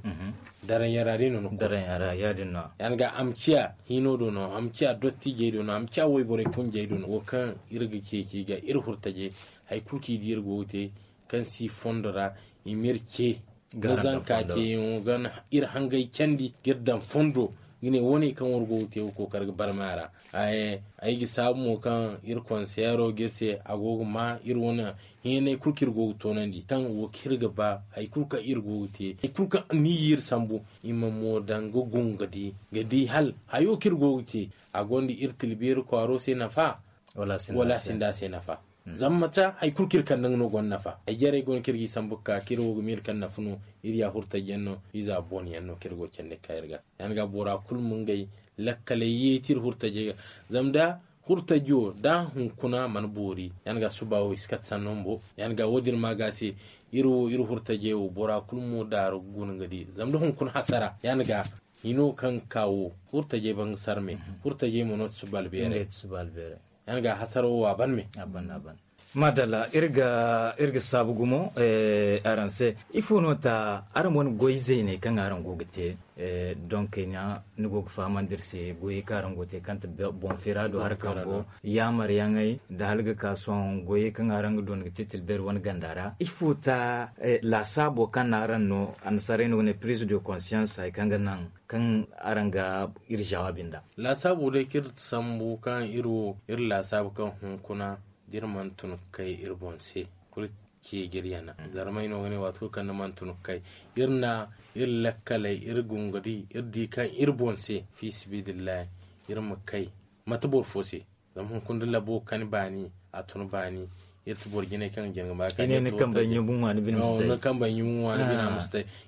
Daranyaŋ ra day no ni koy. Daranyaŋ ra ya- din no. Ya- din ga a ma ciya hino do no a ma ciya dottijey do no a ma ciya wayborey kunjey do no wo kaŋ iri ga ceeci ga iri hurtajey hari kulu kaŋ i di iri go ga te kaŋ si fondo ra i ma iri ce ga zanka ceeyaŋo ga iri hangay candi ga iri daŋ fondo ga ne wane kaŋ war go ga te ga kookari ga barmay a ra. Ay ga saabu mo kaŋ iri konseero ga iri se a go ga ma iri wane heenay kulu kaŋ iri go ga toonandi kaŋ wo kaŋ iri ga ba hari kulu kaŋ iri go ga te hari kulu kaŋ ni ya iri sambu i ma mo daŋ ga gunga di ga di hala hayo kaŋ iri go ga te a gonda iri tilbeeri kwaaro se nafa wala a sinda a se nafa. Zama mate hari kulu kaŋ iri kande nga no gonda nafa ay jarey go no kaŋ iri ga i sambu ga ka kaŋ iri wo ga miila kaŋ nafa no iri ya hurtaji yaŋ no iza booni yaŋ no kaŋ iri go ga candi ga ka iri ga. Ya- din ga bora kulu ma ngey lakkaley yeeti iri hurtajey ga. Zama da hurtaji wo da hunkuna mana boori ya- din ga suba wo i si kate sanno bumbo ya- din ga wo- din ma ga se iri wo iri hurtajey wo bora kulu mo daaru ga guna ga di zama da hunkuna hasara ya- din ga hino kaŋ ga ka wo hurtajey ban ga sarme. Hurtajey mo no ti suba albeerey. Ya- din ga hasara wo a ban me. Maadalla iri ga saabu gumo araŋ se. Ifo no ta araŋ wane goy zeyney kaŋ araŋ go ga te? Donk ɲa ni go ga fahamandi iri se goyey kaŋ araŋ go ga te kaŋ ti boŋ feera do hari kambo yaamaryaŋey nda hala ga ka sohõ goyey kaŋ araŋ ga doona ga te tilbeeri wane ganda ra ifo ta laasaabo kaŋ no araŋ no annasaarey no ga ne prise de conscience hari kaŋ ga naŋ kaŋ araŋ ga iri jawaabi nd'a? Laasaabo day kaŋ iri sambu kaŋ iri wo iri laasaabu kaŋ hunkuna da iri mana tun ga kay iri boŋ se kulu ceejir yana. Zarmay no ga ne waati kulu kaŋ ni mana tun ga kay, iri na iri lakkaley, iri gungudi, iri di kaŋ iri boŋ se, fi sibidillahi, iri ma kay. Mate boro fo se? Zama hunkuna da labo kani baani, a tun baani. Iri ti boro jinay kaŋ ga jina ga ma kaani.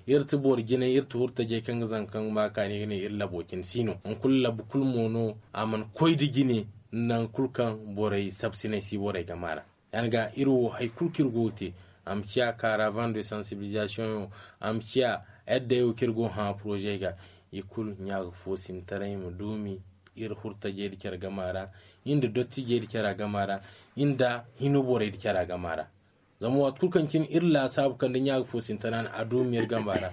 Iri ti boro jinay, iri ti hurtajey kaŋ ga zanka kaŋ ga ma kaani ga ne iri labo cine si no. Hunkuna labu kulu mo no a mana koy da jine. Nangu kulu kaŋ borey sabsinay si borey game a ra. Yaŋ ga iri wo hari kulu kaŋ iri go ga te, a ma ciya karavan de sansibilisation yaŋ, a ma ciya edda yaŋ wo kaŋ iri go ga hã poroze ga, i kulu ɲaaga foosintaray ma duumi. Iri hurtajey da care gama ra, iri nda dottijey da care gama ra, iri nda hino borey da care gama ra. Zama waati kulu kaŋ cine iri laasaabu kaŋ da ɲaaga foosintaray no a duumi iri gama ra,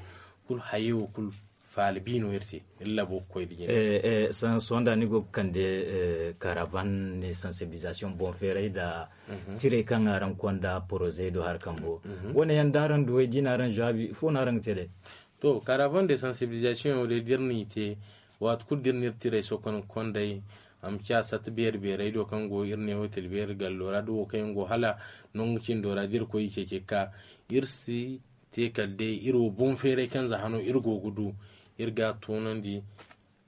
kulu hayey wo kulu faala bi no iri se. Iri labo ga koy da jine. Sohõ da ni go ga kande karavan ne sansibilisation boŋ feeray nda tirey kaŋ araŋ konda porozey do hari kambo, wane yaŋ da araŋ duwey da i na araŋ zaabi ifo no araŋ ga te day? To, karavan de sansibilisation yaŋo day da iri n'i te, waati kulu da iri na iri tirey sohõ kaŋ ga konday, a ma ciya sata beeri beerey do kaŋ go iri neewo tila beeri gallo ra da wo kaŋ yaŋ go hala nangu cindo ra da iri koy i ceeci ga ka. Iri si te kala day iri wo boŋ feeray kaŋ za hano iri go ga du, iri ga a toonandi.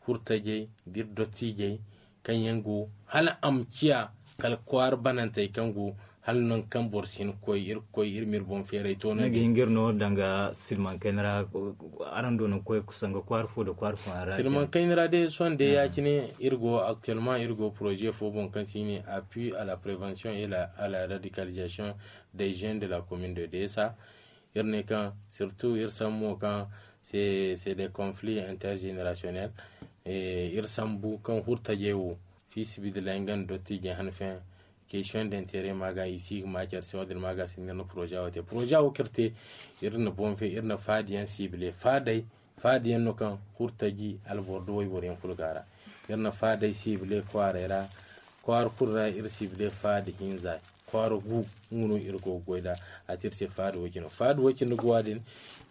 Hurtajey da iri dottijey kaŋ yaŋ go hala a ma ciya kala kwaara banantey kaŋ go hala nangu kaŋ boro si hin ga koy iri ga koy iri ma iri boŋ feeray toonandi. Ni ga hin ga iri no danga silmaŋ kayna ra? Araŋ do no ga koy sanga kwaara fo nda kwaara fo ra silmaŋ kayna ra day sohõ day ya- cine iri go actuellement iri go poroze fo boŋ kaŋ se i ne appui à la prévention et à la radicalisation des jeunes de la commune de desa. Iri ne kaŋ surtout iri sambu mo kaŋ c'est des conflits intergénérationnels. Iri sambu kaŋ hurtajey wo fi sibidillahi nga nda dottijey hanfeyaŋ question d'intérêt ma ga i si ga ma care se wo- din ma ga se no iri na poroza wo te poroza wo kaŋ iri te. Iri na boŋ fe iri na faadiyaŋ sibile faadey faadiyaŋ no kaŋ hurtaji alboro da wayboro yaŋ kulu go a ra. Iri na faadey sibile kwaaray ra kwaara kulu ra iri sibile faadi hinza kwaara gu. Nga no iri go ga goy nd'a a te iri se faada way-cine faada way-cine ga wa din.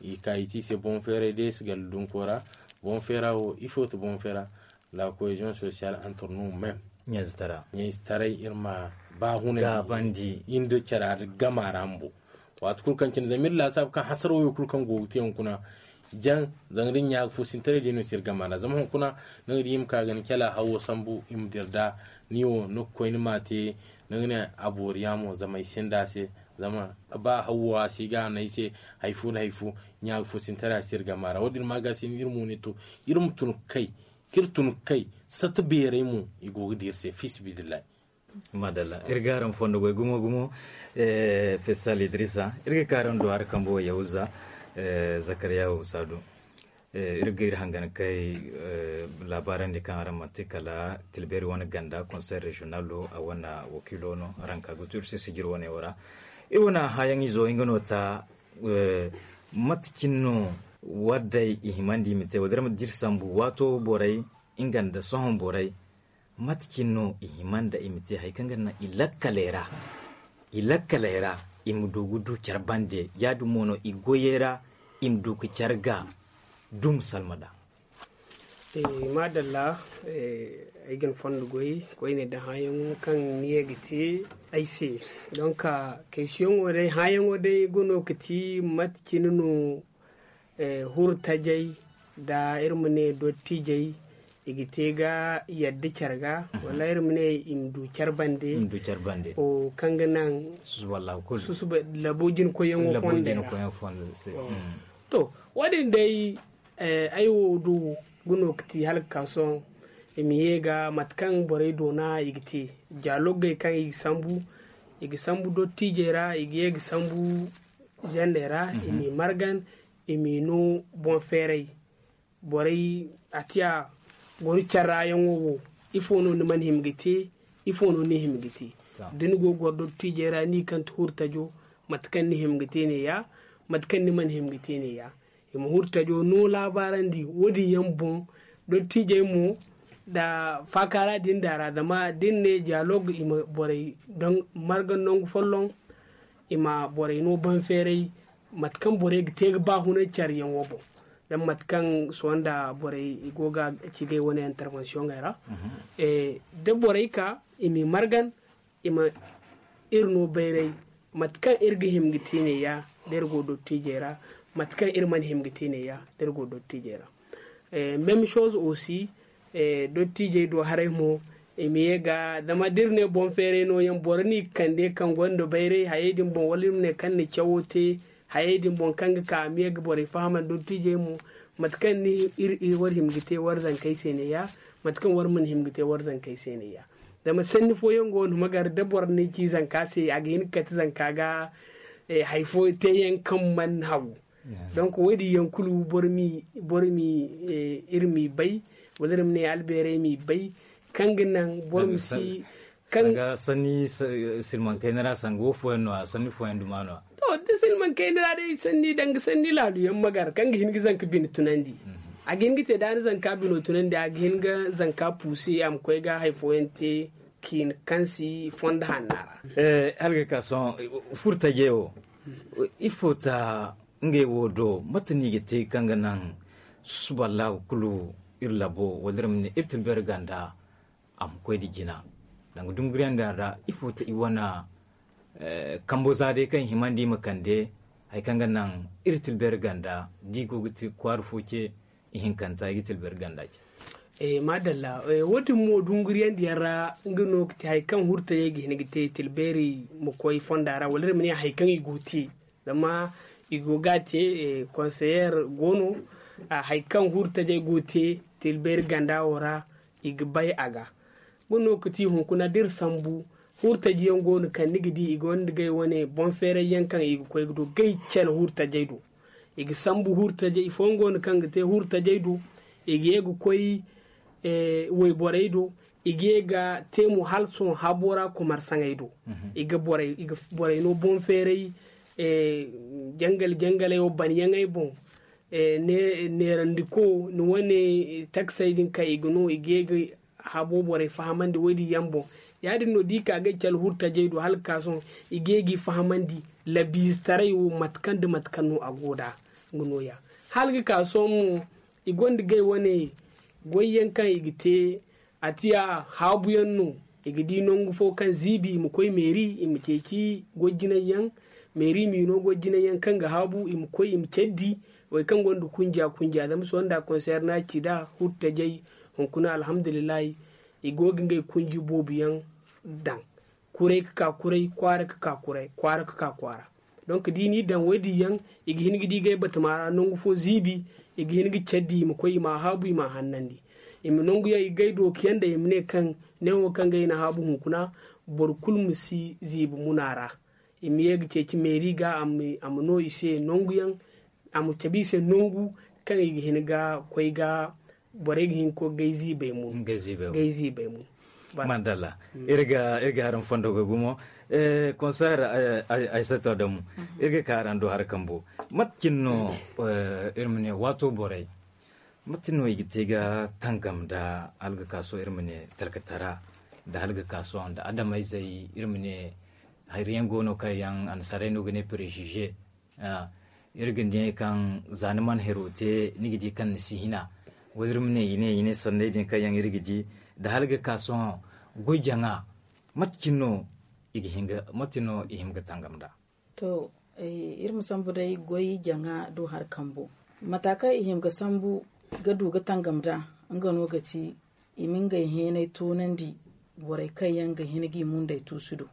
I ka i te i se boŋ feeray day si galla dunko ra. Boŋ feera wo ifo ti boŋ feera? La cohésion sociale entre nous même ɲayzetaray iri ma ba hunay iri nda cara gama ra bumbo. Waati kulu kaŋ cine zama iri laasaabu kaŋ hasara wo kulu kaŋ go ga te hunkuna jaŋ zanga da ɲa ga fo sintaray day no si iri gama ra zama hunkuna ni ga di i ma ka ga ni cala hawo sambu i ma dira da ni wo ni ga koy ni ma te. Ni ga ne a boori yaamo zama ay sinda a se zama ba hawo a si ga a no ay se. Hari fo nda hari fo ɲa ga fo sintaray a si iri gama ra wo- din ma ga se iri mo ne to iri ma tun ga kay kaŋ iri tun ga kay sata beeray mo i go ga di iri se fi sibidillahi. Madalla iri ga araŋ fondo goy gumo gumo. Fesal idrisa iri ga ka araŋ do hari kambo yahuza zakariya husa do. Iri ga iri hangan kay laabaarandi kaŋ araŋ manti kala tilbeeri wane ganda konsey reziyonal do a wane wakiilo no araŋ ka ga tu iri se sijir wane wo ra. Iri wane hãyaŋ izo nga no ta mate cine no wadday i himandi i ma te wala day mate da iri sambu waato borey nga nda sohõ borey mate cine no i hima nda i ma te hari kaŋ ga naŋ i lakkaley ra i lakkaley ra i ma du ga du care bande ya- din mo no i goyey ra i ma du ga care ga dum salma nd'a. Maadalla. Ay ga ni fondo goy koyne nda hãyaŋo kaŋ ni ye ga te ay se. Donk kaysiyaŋo day hãyaŋo day ga no ga ti mate cine no huru tajay nda iri ma ne dottijey i ga te ga yadda care ga wala iri ma ne i ma du care bande kaŋ ga naŋ susuba labo jinkoyyaŋo fondo ra. To wo- din day ay wo du ga no ga ti hala ga ka sohõ i ma ye ga mate kaŋ borey doona i ga te dialogey kaŋ i ga sambu i ga sambu dottijey ra i ga ye ga sambu zendey ra i m'i margan i m'i no boŋ feeray. Borey a tiya goro care ra yaŋo wo ifo no ni mana hima ga te? Ifo no ni hima ga te da ni go ga goro dottijey ra ni kaŋ ti huru tajo mate kaŋ ni hima ga te ne- ya mate kaŋ ni mana hima ga te ne- ya i ma huru tajo no laabaarandi wo- din yaŋ boŋ. Dottijey mo nda faakaara din da ra zama da ni ne dialogue i ma borey marga nangu folloŋ i ma borey no baŋ feeray mate kaŋ borey ga te ga ba hunay care yaŋo boŋ. Zama mate kaŋ sohõ nda borey i go ga ci ga ay wane intervention ey ra da borey ka i m'i margan i ma iri no bayray. Mate kaŋ iri ga hima ga te ne- ya da iri go dottiijey ra, mate kaŋ iri mana hima ga te ne- ya da iri go dottiijey ra. Même chose aussi, dottiijey do haray mo, i ma ye ga zama da iri ne boŋ feeray nooyaŋ boro no i ga kande kaŋ gonda bayray hayey din boŋ wala iri ma ne kaŋ na cawo te hayey din boŋ kaŋ ga ka a ma ye ga borey fahamandi dottiijey mo. Mate kaŋ ni iri war hima ga te war zankey se ne- ya, mate kaŋ war mana hima ga te war zankey se ne- ya. Zama sanni fooyaŋ go no ma gar da boro ni ci zanka se a ga hin ga kate zanka ga hari fo te yaŋ kaŋ mana hagu. Donc wo- din yaŋ kulu boro ma iri ma i bay, wala iri ma ne albeerey ma i bay kaŋ ga naŋ boro ma si kaŋ ga sanni silmankayna ra sanga wo fooyaŋ no- ya sanni fooyaŋ duma no- ya. To da silmankayna ra day sanni danga sanni laalu yaŋ ma gar kaŋ ga hin ga zanka bine tunandi. A ga hin ga te da ni zanka bino tunandi a ga hin ga zanka puusi a ma koy ga hari fooyaŋ te kiina kaŋ si fondo hanna ra. Hala ga ka sohõ furtajey wo ifo ta ngey wo do mate no i ga te kaŋ ga naŋ susuba laabu kulu iri labo wala iri ma ne iri tilberi ganda a ma koy nda jina danga dunguriyaŋ din ra ifo ta i wane kambo za day kaŋ i himandi i ma kande hari kaŋ ga naŋ iri tilberi ganda da i go ga te kwaara fo ce ihinkanta i ga tilberi ganda ce. Madalla, wo- din mo dunguriyaŋ diyaŋ ra nga no ga te hari kaŋ hurtayey ga hin ga te tilberi ma koy fonda ra wala iri ma ne hari kaŋ i go ga te zama i go ga a te konseyer go no hari kaŋ hurtajey go ga te tilberi ganda wo ra i ga bay a ga. Nga no ga ti hunkuna da iri sambu hurtaji yaŋ go no kaŋ ni ga di i gonda gay wane boŋ feeray yaŋ kaŋ i ga koy ga du gay care hurtajey do. I ga sambu hurtajey i fooyaŋ go no kaŋ ga te hurtajey do i ga ye ga koy wayborey do i ga ye ga te mo hala sohõ habo ra kumarsaŋey do. I ga borey no boŋ feeray jangal jangaley wo banyaŋey boŋ neerandiko ni wane taksey din kaŋ i ga no i ga ye ga habo borey fahamandi wo- din yaŋ boŋ. Ya- din no da i ka ga ay cala hurtajey do hala ga ka sohõ i ga ye ga i fahamandi labiizitaray wo mate kaŋ nda mate kaŋ no a go nd'a. Nga no- ya hala ga ka sohõ mo i gonda gay wane goyyaŋ kaŋ i ga te a tiya haabuyaŋ no. I ga di nangu fo kaŋ ziibi i ma koy meeri i ma ceeci goy jinay yaŋ meeri miino goy jinay yaŋ kaŋ ga haabu i ma koy i ma care di. Way kaŋ gonda kunja kunja zama sohõ nda konseer no a ci nd'a hurtajey hunkuna alhamdulillahi. I go ga ngey kunji boobo yaŋ daŋ kuray ga ka kuray kwaara ga ka kuray kwaara ga ka kwaara. Donk da i n'i daŋ wo- din yaŋ i ga hin ga di ngey batama ra nangu fo ziibi i ga hin ga care di i ma koy i m'a haabu i m'a hannandi. I ma nangu yaŋ i ga ay dooku yaŋ daŋ i ma ne kaŋ neewo kaŋ ngey na haabu hunkuna boro kulu ma si ziibi muna ra. I ma ye ga ceeci meeri ga a ma no i se nangu yaŋ a ma cabe i se nangu kaŋ i ga hin ga koy ga borey ga hin ga koy ga ay ziibay mo. Ga ay ziibay mo. Mandalla. Iri ga haraŋ fondo ga gumo. Konseer ay sato damu iri ga ka haraŋ do hara kambo. Mate cine no iri ma ne waato borey mate no i ga te ga tangam nda hala ga ka sohõ iri ma ne talkatara nda hala ga ka sohõ nda adamayzey iri ma ne hari yaŋ go no kaŋ yaŋ annasaarey no ga ne préjugé. Iri ga ne kaŋ za ni mana hero te ni ga di kaŋ ni si hina wala iri ma ne i ne i ne sanney din kaŋ yaŋ iri ga di nda hala ga ka sohõ goy jaŋa mate cine no i ga hin ga mate no i hima ga tangam nda. To iri ma sambu day goy jaŋa do hari kambo mata kaŋ i hima ga sambu ga du ga tangam nda nga no ga ti i ma ngey heenay toonandi borey kaŋ yaŋ ga hin g'i mundey tuusu do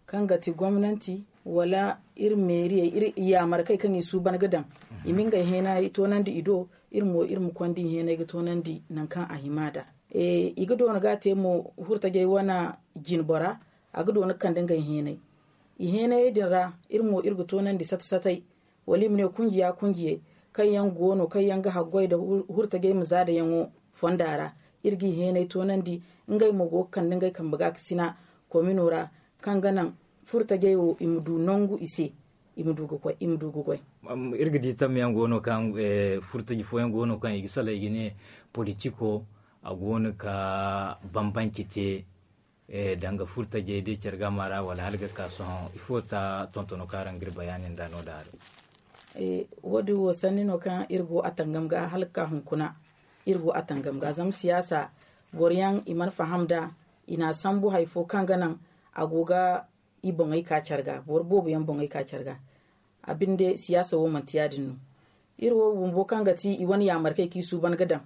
kaŋ ga ti gomnanti wala iri meeriyey iri yaamarkey kaŋ i suuban ga daŋ i ma ngey heenay toonandi i do. Iri mo iri ma konda i heenay ga toonandi nangu kaŋ a hima nd'a i ga doona ga a te mo hurtajey wane jinbora a ga doona ga kande ngey heenay i heenayey din ra iri mo iri ga toonandi sata satay wala i ma ne kunjiya kunjiyey kaŋ yaŋ go no kaŋ yaŋ ga haggoy nda hurtajey ma za dayaŋo fonda ra. Iri g'i heenay toonandi ngey mo go ga kande ngey kambe gaakasina komino ra kaŋ ga naŋ furtajey wo i ma du nangu i se i ma du ga goy. Iri ga di tamyaŋ go no kaŋ furtaji fooyaŋ go no kaŋ i ga sala i ga ne politiko a go no ga bambanci te danga furtajey day care ga ma ra wala hala ga ka sohõ ifo ta tontono kaŋ araŋ ga iri bayaani nda no da haray? Wo- din wo sanni no kaŋ iri go a tangam ga hala ga ka hunkuna iri go a tangam ga zama siyaasa boro yaŋ i mana faham nd'a i n'a sambu hari fo kaŋ ga naŋ a go ga i boŋey ka care ga, boro boobo yaŋ boŋey ka care ga. A binde siyaasa wo manti yaadin no. Iri wo bumbo kaŋ ga ti i wane yaamarkey kaŋ i suuban ga daŋ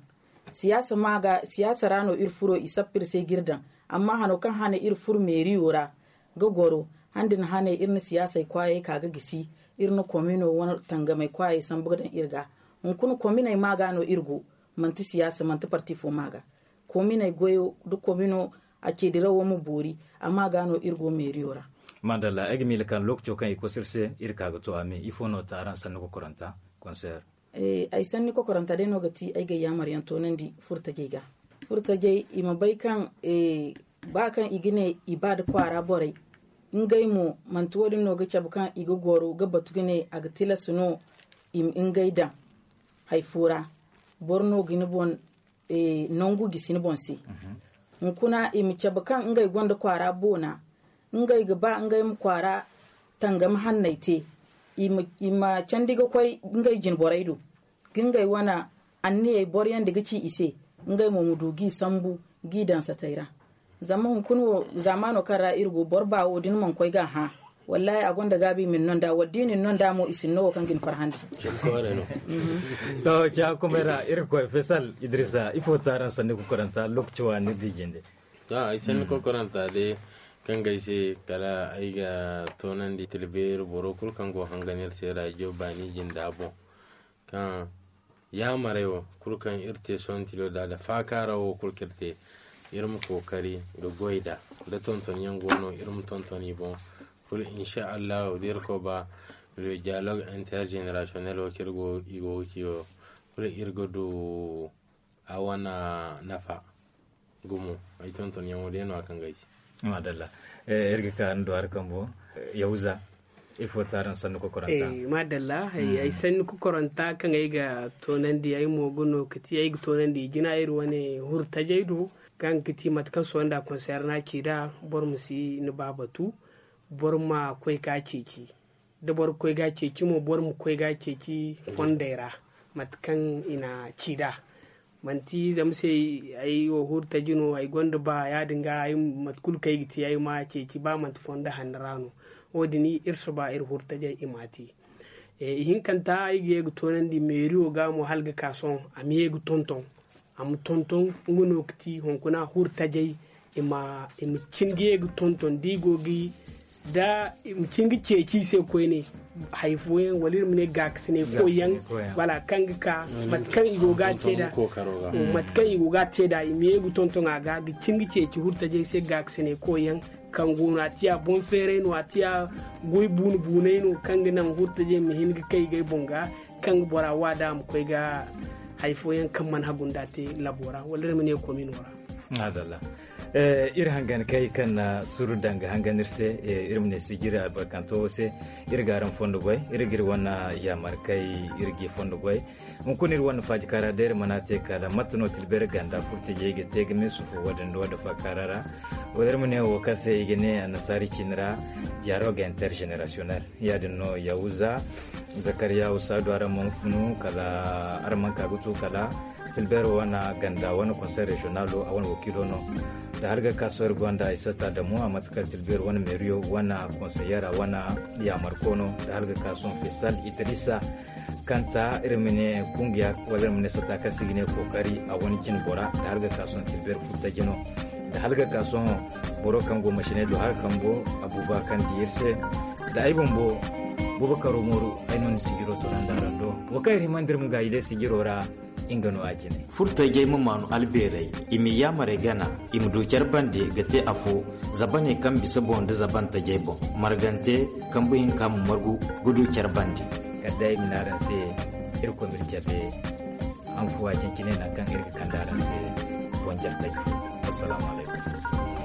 siyaasa ma ga, siyaasa ra no iri furo, i sappa iri se ga iri daŋ. Amma hano kaŋ hane iri furo meeriyo ra ga goro, han din hane iri na siyaasey kwaayey ka ga gisi, iri na komino wane tangamey kwaayey sambu ga daŋ iri ga. Hunkuna kominey ma ga no iri go, manti siyaasa, manti parti fo ma ga. Kominey goyo da komino a ceedirawo ma boori, amma ga no iri go meeriyo ra. Madalla, ay ga miila kaŋ lookaco kaŋ i koy se iri se, iri ka ga to a me. Ifo no ta araŋ sanni kokoranta konseer? Ay sanni kokoranta day no ga ti ay ga yaamaryaŋ toonandi furtajey ga. Furtajey i ma bay kaŋ ba kaŋ i ga ne i ba da kwaara borey, ngey mo manti wo- din no ga cabe kaŋ i ga goro ga batu ga ne a ga tilas no i ma ngey daŋ. Hay fo ra boro no ga ni boŋ nangu gisi ni boŋ se. Hunkuna i ma cabe kaŋ ngey gonda kwaara boona, ngey ga ba ngey ma kwaara tangam hanney te. I ma candi ga koy ngey jine borey do ga ngey wane anniyey boro yaŋ da ga ci i se, ngey mo ma du g'i sambu g'i daŋ satey ra. Zama hunkuna wo zaamaano kaŋ ra iri go, boro ba wo da ni mana koy ga a hã, wallaahi a gonda gaabi i ma ni no nd'a, wala da i na ni no nd'a mo i si ni no wo kaŋ ga ni farhandi. To, caakumay ra iri koy fesal idrisa ifo taaraŋ sanni kokoranta lookaci waani ni di jinde? To, ay sanni kokoranta day kaŋ ga ay se kala ay ga toonandi tilbeeri boro kulu kaŋ go hangan iri se raajiyo baani jinda boŋ, kaŋ yaamarey wo kulu kaŋ iri te sohõ tilo da da faakaara wo kulu kaŋ iri te, iri ma kookari ga goy nd'a. Da tontonyaŋ go no iri ma tonton i boŋ kulu, insa allahu da irkoy ba, le dialogue intergenerationnel wo kaŋ iri go ga ci wo kulu iri ga du a wane nafa. Gumo ay tontonyaŋo day no a kaŋ ga ay ci. Madalla. Iri ga ka ni do hari kambo, yahuza, ifo taaraŋ sanni kokoranta? Madalla, ay sanni kokoranta kaŋ ay ga toonandi ay mo ga no ka ti ay ga toonandi i jina iri wane hurtajey do, kaŋ ga ti mate kaŋ sohõ nda konseer no a ci nd'a, boro ma si ni ba batu, boro ma koy ga ceeci. Da boro ga koy ga ceeci mo, boro ma koy ga ceeci fondey ra mate kaŋ i na ci nd'a. Manti zama se ay wo hurtaji no ay gonda ba yaadin ga, mate kulu kaŋ ay ga te ay ma ceeci ba manti fondo hanno ra no. Wo- din iri si ba iri hurtajey i m'a te. Ihinkanta ay ga ye ga toonandi meeriyo ga mo hala ga ka sohõ a ma ye ga tonton, a ma tonton. Nga no ga ti hunkuna hurtajey i ma cin ga ye ga tonton da i go ga da i ma cin ga ceeci i se koyne. Hari fooyaŋ wala iri ma ne gaakasinay koyyaŋ wala kaŋ ga ka mate kaŋ i go ga a te nd'a, mate kaŋ i go ga a te nd'a i ma ye ga tonton a ga ga cin ga ceeci hurtajey se gaakasinay koyyaŋ. Kaŋ go no a tiya boŋ feeray no a tiya goy buunu buunay no kaŋ ga naŋ hurtajey ma hin ga kay gay boŋ ga kaŋ ga bora wa da a ma koy ga hari fooyaŋ kaŋ mana hagu nda a te labo ra wala iri ma ne komino ra. Madalla. Iri hangan kay kaŋ na suru daŋ ga hangan iri se, iri ma ne sijiri albarkanto wo se. Iri ga araŋ fondo goy, iri ga iri wane yaamar kay, iri ga i fondo goy. Hunkuna iri wane faaji kaara da iri mana te kala mate no tilbeeri ganda furtajey ga te ga me sufu wadin da wadda faakaara ra. Wala iri ma ne wo kaŋ se i ga ne annasaari ciini ra dialogue intergenerationnel. Yaadin no yahuza, zakariya, usaadu, araŋ mana funu kala araŋ mana ka ga tu kala tilbeero wane ganda wane conseil régionalo a wane wakiilo no. Da hala ga ka sohõ iri gonda ay sata damu a mate kala tilbeero wane meeriyo wane conseillera wane yaamarko no da hala ga ka sohõ fesal idrisa kanta iri ma ne kungiya wala iri ma ne sata kaŋ se i ga ne kookari a wane cine bora da hala ga ka sohõ tilbeero furtaji no. Da hala ga ka sohõ boro kaŋ go masiney do hala kambo abuba kaŋ di iri se da ay bumbo bubakaro mooru. Ay no ni sijiro to nanda rando wo kaŋ iri himandi iri ma gaayi day sijiro ra. Nga no a cine furtajey ma maanu albeerey i ma yaamarey gana i ma du care bande ga te afo zabaney kaŋ bisa boŋ nda zabantajey boŋ margante kambu hinka ma margu ga du care bande. Kala day ay ma ne araŋ se irkoy ma iri cabe. Hanfuwa cencine naŋ kaŋ iri ga kande araŋ se boŋ jartey. Assalaamu alaykum.